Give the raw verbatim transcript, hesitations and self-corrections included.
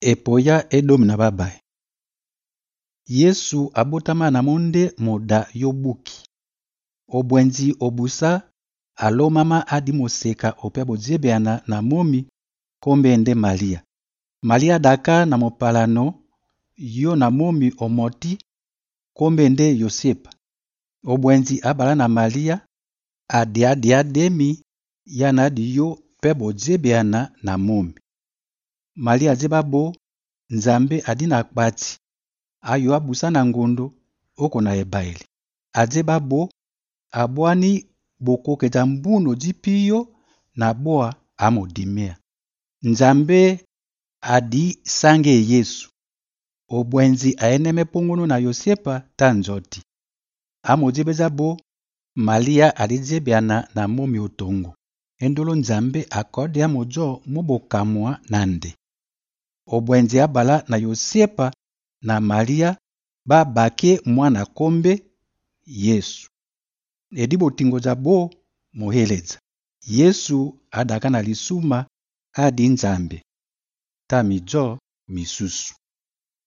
Epoya edomi na babai. Yesu abotama na monde moda yobuki. Obwenzi obusa alomama adi moseka ope bozebeana na momi kombende Malia. Malia daka na mopalano yo na momi omoti kombende Yosepa. Obwenzi abala na Malia adi adi ademi yana adi yo pe bozebeana na momi. Malia zebabo Nzambe adi na kpati ayo abusa na ngondo oko na ebaili. Azebabo abwani bokoketa mbuno dipiyo na boa amodimea. Nzambe adi sange Yesu. Obwenzi aeneme pongono na Yosepa tanzoti. Amodibezabo Malia alizebeana na momi otongo. Endolo Nzambe akode amojo mobokamwa nande. Obwenzi abala na Yosepa na Malia ba bake mwana kombe Yesu. Edibo tingo zabo moheleza. Yesu adaka na lisuma adi Nzambe. Tamijo misusu.